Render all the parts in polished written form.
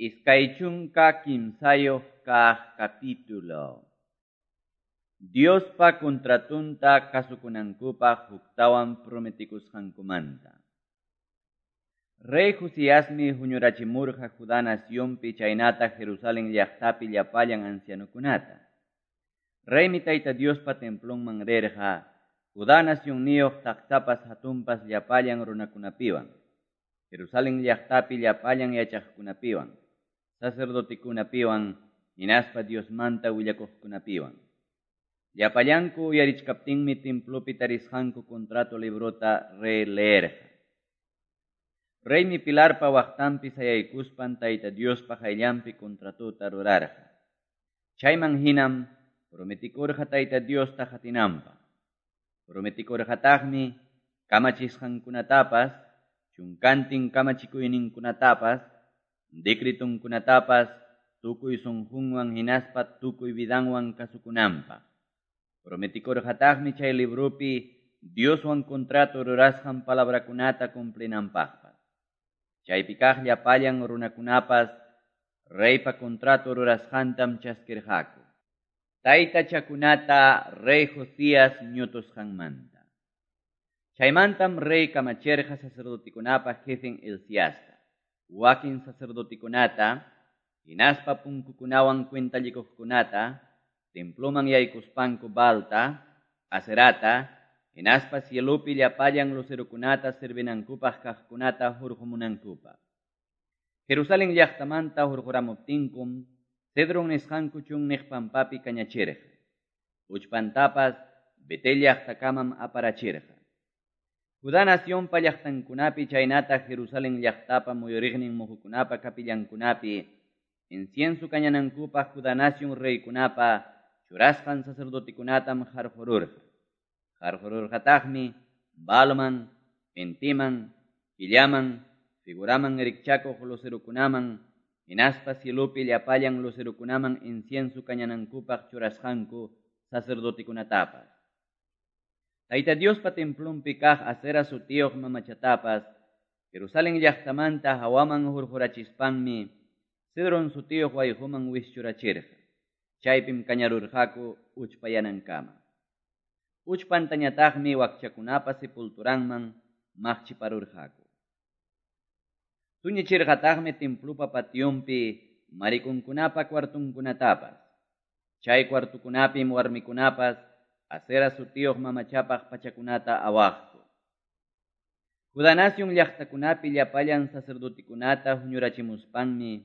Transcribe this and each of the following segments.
23 kaq capítulo. Diospa contratunta kasukunankupaq huktawan prometikusqankumanta. Rey Josiasmi huñurachimurqa Judá nacionpi chaynata Jerusalén llaqtapi llapallan ancianokunata. Reymi Tayta Diospa templonman rirqa, Judá nacionniyuq taksapas hatunpas llapallan runakunapiwan, Jerusalén llaqtapi llapallan yachaqkunapiwan, sacerdotekunapiwan, hinaspa Diosmanta willakuqkunapiwan. Llapallanku uyarichkaptinmi templopi tarisqanku contrato librota rey leerqa. Reymi pilarpa waqtanpi sayaykuspan Tayta Diospa qayllanpi contratota rurarqa. Chayman hinam prometikurqa Tayta Diosta qatinanpaq. Prometikurqataqmi kamachisqankunatapas, chunkantin kamachikuyninkunatapas, decretunkunatapas tukuy sunqunwan hinaspa tukuy vidanwan kasukunanpaq. Prometikurqataqmi chay libropi Dioswan contrato rurasqan palabrakunata cumplinanpaqpas. Chaypi kaq llapallan runakunapas reypa contrato rurasqantam chaskirqaku. Taytachakunata rey Josías ñutusqanmanta. Chaymantam rey kamachirqa sacerdotekunapa jefen Hilciasta, wakin sacerdotekunata, hinaspa punkukunawan cuentallikuqkunata, temploman yaykuspanku Baalta, Aserata, hinaspa cielopi llapallan lucerokunata servinankupaq kaqkunata hurqumunankupaq. Jerusalén llaqtamanta hurquramuptinkum, Cedron nisqanku chunniq pampapi kañachirqa. Uchpantapas Betel llaqtakamam aparachirqa. Judá nacionpa llaqtankunapi chaynata Jerusalén llaqtapa muyuriqnin muhukunapa kapillankunapi, incienso kañanankupaq Judá nación reykunapa churasqan sacerdotekunatam qarqururqa. Qarqururqataqmi Baalman, Intiman, Killaman, figuraman rikchakuq lucerokunaman, hinaspa cielopi llapallan lucerokunaman incienso kañanankupaq churasqanku sacerdotekunatapas. Tayta Diospa templonpi kaq Asera sutiyuq mamachatapas, Jerusalén llaqtamanta hawaman hurqurachispanmi, Cedron sutiyuq wayquman wischurachirqa. Chaypim kañarurqaku uchpayanankama. Uchpantañataqmi wakchakunapa sepulturanman maqchiparurqaku. Tuñichirqataqmi templopa pationpi marikunkunapa cuartunkunatapas. Chay cuartukunapim warmikunapas Asera sutiyuq mamachapaq pachakunata awaqku. Judá nación llaqtakunapi llapallan sacerdotekunata huñurachimuspanmi,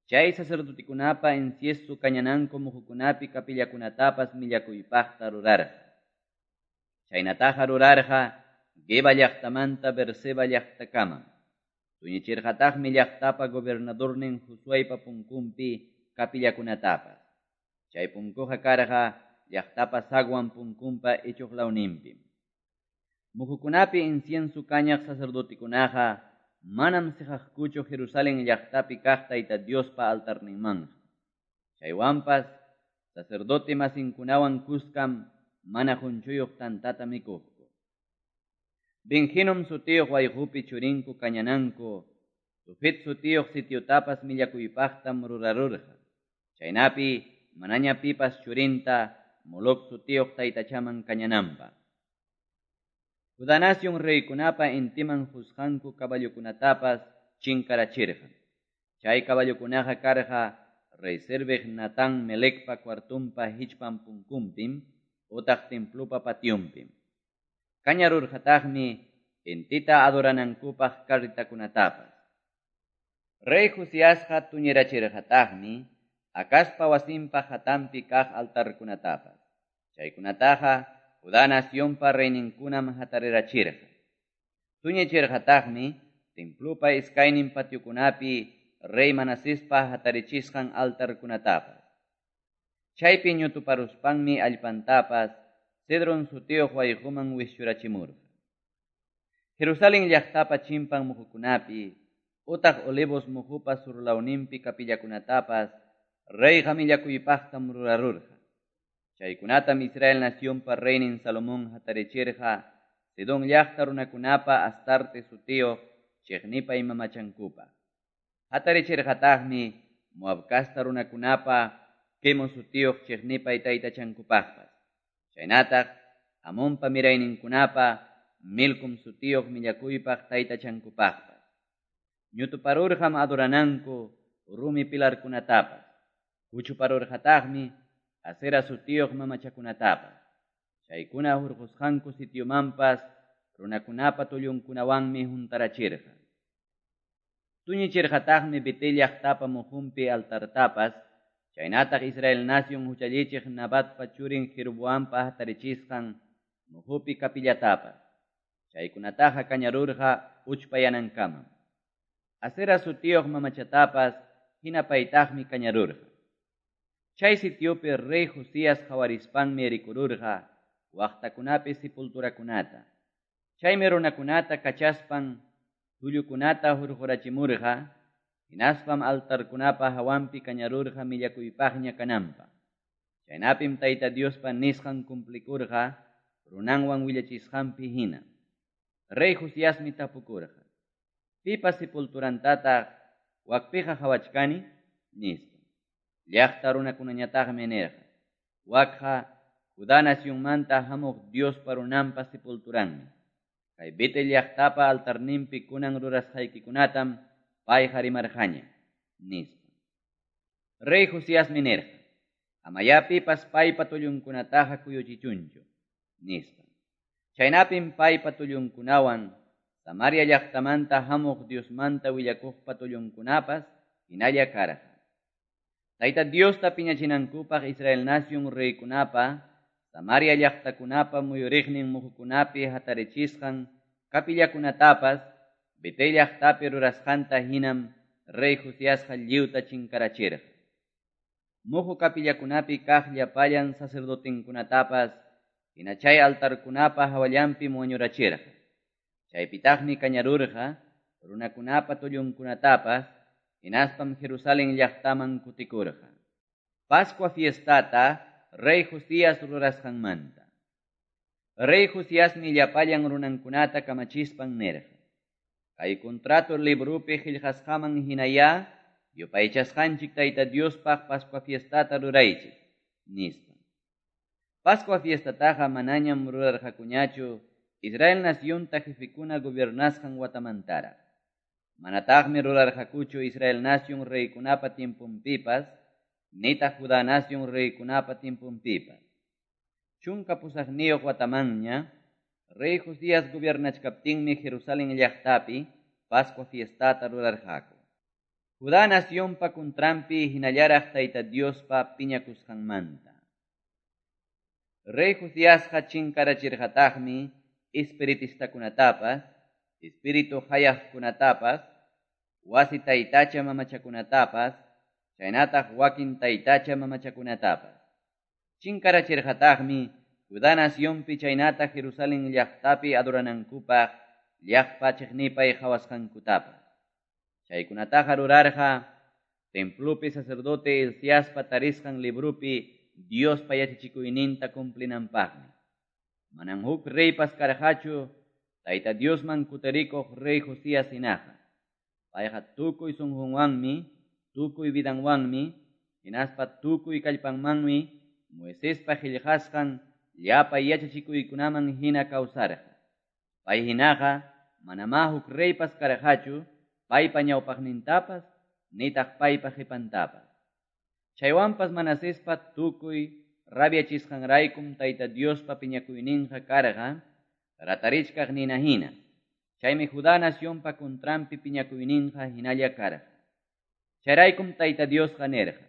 chay sacerdotekunapa incienso kañananku muhukunapi kapillakunatapas millakuypaqta rurarqa. Chaynataqa rurarqa Geba llaqtamanta Berseba llaqtakamam. Tuñichirqataqmi llaqtapa gobernadornin Josueypa punkunpi kapillakunatapas. Chay punkuqa karqa llaqtapa zaguan punkunpa ichuq lawninpim. Muhukunapi incienso kañaq sacerdotekunaqa manam siqaqkuchu Jerusalén llaqtapi kaq Tayta Diospa altarninmanqa. Chaywanpas sacerdote masinkunawan kuskam mana qunchuyuq tantata mikuqku. Ben-Hinom sutiyuq wayqupi churinku kañananku, Tofet sutiyuq sitiotapas millakuypaqtam rurarurqa. Chaynapi manaña pipas churinta Moloc sutiyuq taytachaman kañananpaq. Judá nación reykunapa intiman qusqanku caballokunatapas chinkarachirqa. Chay caballokunaqa karqa rey serviq Natán Melecpa cuartunpa hichpan punkunpim utaq templopa pationpim. Kañarurqataqmi intita adoranankupaq carritakunatapas. Rey Josiasqa tuñirachirqataqmi Acazpa wasinpa hatanpi kaq altarkunatapas. Chaykunataqa Judá nacionpa reyninkunam hatarirachirqa. Tuñichirqataqmi templopa iskaynin patiokunapi rey Manasespa hatarichisqan altarkunatapas. Chaypi ñutuparuspanmi allpantapas Cedron sutiyuq wayquman wischurachimurqa. Jerusalén llaqtapa chimpan muhukunapi, utaq Olivos muhupa surlawninpi kapillakunatapas reyqa millakuypaqtam rurarurqa. Chaykunatam Israel nacionpa reynin Salomón hatarichirqa Sidón llaqta runakunapa Astarte sutiyuq chiqnipay mamachankupaq. Hatarichirqataqmi Moab casta runakunapa Quemos sutiyuq chiqnipay taytachankupaqpas. Chaynataq Amonpa mirayninkunapa Milcom sutiyuq millakuypaq taytachankupaqpas. Ñutuparurqam adorananku rumi pilarkunatapas. Kuchuparurqataqmi Asera sutiyuq mamachakunatapas. Chaykuna hurqusqanku sitiomanpas runakunapa tullunkunawanmi huntarachirqa. Tuñichirqataqmi Betel llaqtapa muhunpi altartapas, chaynataq Israel nación huchallichiq Nabatpa churin Jeroboampa hatarichisqan muhupi kapillatapas. Chaykunataqa kañarurqa uchpayanankamam. Asera sutiyuq mamachatapas hinapaytaqmi kañarurqa. Chay sitiopi rey Josías qawarispanmi rikururqa waqtakunapi sepulturakunata. Chaymi runakunata kachaspan tullukunata hurqurachimurqa, hinaspam altarkunapa hawanpi kañarurqa millakuypaqña kananpaq. Chaynapim Tayta Diospa nisqan cumplikurqa runanwan willachisqanpi hina. Rey Josiasmi tapukurqa: "Pipa sepulturantataq wakpiqa qawachkani?" nispa. Llaqta runakunañataqmi nirqa: "Wakqa Judá nacionmanta hamuq Diospa runanpa sepulturanmi. Kay Betel llaqtapa altarninpi kunan rurasqaykikunatam payqa rimarqaña", nispa. Rey Josiasmi nirqa: "Amayá pipas paypa tullunkunataqa kuyuchichunchu", nispa. Chaynapim paypa tullunkunawan Samaria llaqtamanta hamuq Diosmanta willakuqpa tullunkunapas hinalla karqa. Tayta Diosta piñachinankupaq Israel nación reykunapa Samaria llaqtakunapa muyuriqnin muhukunapi hatarichisqan kapillakunatapas Betel llaqtapi rurasqanta hinam rey Josiasqa lliwta chinkarachirqa. Muhu kapillakunapi kaq llapallan sacerdotenkunatapas hina chay altarkunapa hawallanpim wañurachirqa. Chaypitaqmi kañarurqa runakunapa tullunkunatapas hinaspam Jerusalén llaqtaman kutikurqa. Pascua fiestata rey Josías rurasqanmanta. Rey Josiasmi llapallan runankunata kamachispan nirqa: "Kay contrato librupi qillqasqaman hinayá yupaychasqanchik Tayta Diospaq Pascua fiestata ruraychik", nispa. Pascua fiestataqa manañam rurarqakuñachu Israel nacionta jefekuna gobernasqan watamantaraq. Manataqmi rurarqakuchu Israel nación reykunapa tiemponpipas, nitaq Judá nación reykunapa tiemponpipas. 18 watamanña, rey Josías gobernachkaptinmi Jerusalén llaqtapi Pascua fiestata rurarqaku. Judá nacionpa contranpi hinallaraq Tayta Diospa piñakusqanmanta. Rey Josiasqa chinkarachirqataqmi espiritistakunatapas, espíritu hayaqkunatapas, wasi taytacha mamachakunatapas, chaynataq wakin taytacha mamachakunatapas. Chinkarachirqataqmi Judá nacionpi chaynataq Jerusalén llaqtapi adoranankupaq llaqpa chiqnipay qhawasqankutapas. Chaykunataqa rurarqa templopi sacerdote Hilciaspa tarisqan librupi Diospa yachachikuyninta cumplinanpaqmi. Manam huk reypas karqachu Tayta Diosman kutirikuq rey Josías hinaqa. Payqa tukuy sunqunwanmi, tukuy vidanwanmi, hinaspa tukuy kallpanmanmi Moisespa qillqasqan llapa yachachikuykunaman hina kawsarqa. Pay hinaqa manamá huk reypas karqachu paypa ñawpaqnintapas nitaq paypa qipantapas. Chaywanpas Manasespa tukuy rabiachisqanraykum Tayta Diospa piñakuyninqa karqa ratarichkaq nina hina. Chaymi Judá nacionpa contranpi piñakuyninqa hinalla karqa. Chayraykum Tayta Diosqa nirqa: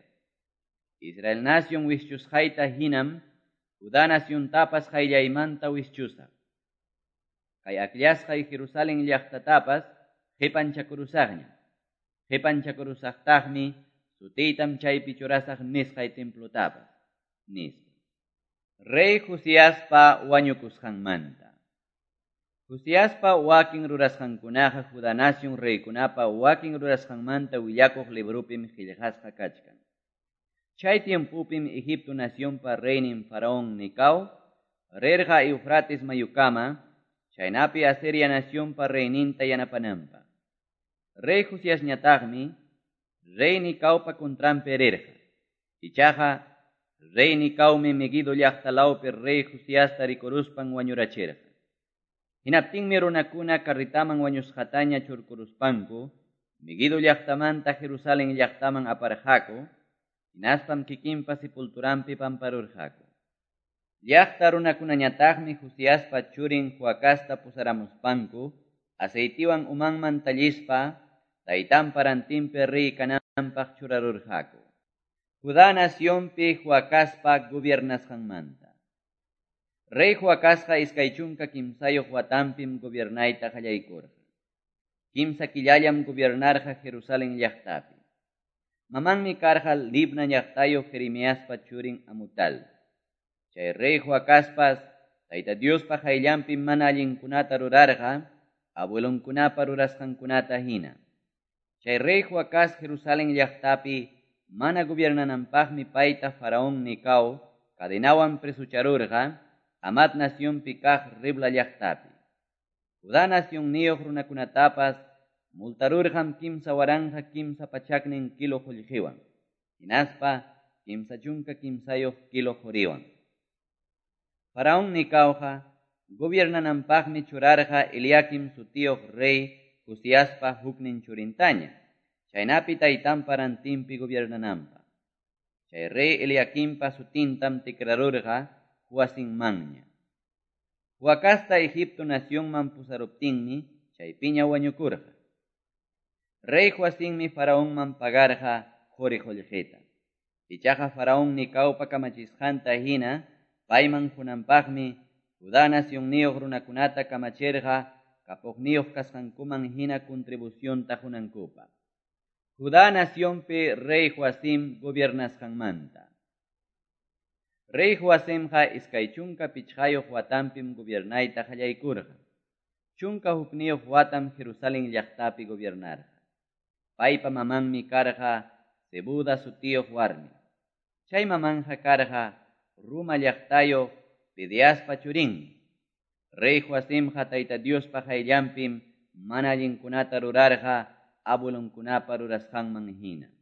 "Israel nación wischusqayta hinam Judá naciontapas qayllaymanta wischusaq. Kay akllashqay Jerusalén llaqtatapas qipanchakurusaqñam. Qipanchakurusaqtaqmi sutiytam chaypi churasaq nisqay templotapas", nispa. Rey Josiaspa wañukusqanmanta. Josiaspa wakin rurasqankunaqa Judá nación reykunapa wakin rurasqanmanta willakuq librupim qillqasqa kachkan. Chay tiempopim Egipto nacionpa reynin Faraón Necao rirqa Eufrates mayukama, chaynapi Asiria nacionpa reyninta yanapananpaq. Rey Josiasñataqmi Rey Nicaopa contranpi rirqa. Ichaqa Rey Nicaomi Meguido llaqta lawpi Rey Josiasta rikuruspan wañurachirqa. Hinaptinmi runakuna carretaman wañusqataña churkuruspanku Meguido llaqtamanta Jerusalén llaqtaman aparqaku, hinaspam kikinpa sepulturanpi pamparurqaku. Llaqta runakunañataqmi Josiaspa churin Joacasta pusaramuspanku, aceitiwan umanman tallispa, taytanpa rantinpi rey kananpaq churarurqaku. Judá nacionpi Joacaspa gobiernasqanmanta. Rey Joacasqa 23 watanpim gobiernayta qallaykurqa. 3 killallam gobiernarqa Jerusalén llaqtapi. Mamanmi karqa Libna llaqtayuq Jeremiaspa churin Amutal. Chay rey Joacaspas Tayta Diospa qayllanpi mana allinkunata rurarqa, abuelonkunapa rurasqankunata hina. Chay rey Joacás Jerusalén llaqtapi mana gobiernananpaqmi payta Faraón Nicao cadenawan presucharurqa Hamat nacionpi kaq Ribla llaqtapi. Judá nacionniyuq runakunatapas multarurqam 3300 kilo qullqiwan, hinaspa 33 kilo quriwan. Faraón Nicaoqa gobiernananpaqmi churarqa Eliakim sutiyuq rey Josiaspa huknin churintaña, chaynapi taytanpa rantinpi gobiernananpaq. Chay rey Eliakimpa sutintam tikrarurqa Joacinmanña. Joacasta Egipto nacionman pusaruptinmi chaypiña wañukurqa. Rey Joacinmi Faraonman pagarqa quri qullqita. Ichaqa Faraón Nicaopa kamachisqanta hina payman qunanpaqmi Judá nacionniyuq runakunata kamachirqa kapuqniyuq kasqankuman hina contribucionta qunankupaq. Judá nacionpi rey Joacim gobiernasqanmanta. Rey Joacimqa 25 watanpim gobiernayta qallaykurqa. 11 watam Jerusalén llaqtapi gobiernarqa. Paypa mamanmi karqa Zebuda sutiyuq warmi. Chay mamanja karqa Ruma llaqtayuq Pediaspa churinmi. Rey Joacimqa Tayta Diospa qayllanpim mana allinkunata rurarqa abuelonkunapa rurasqanman hina.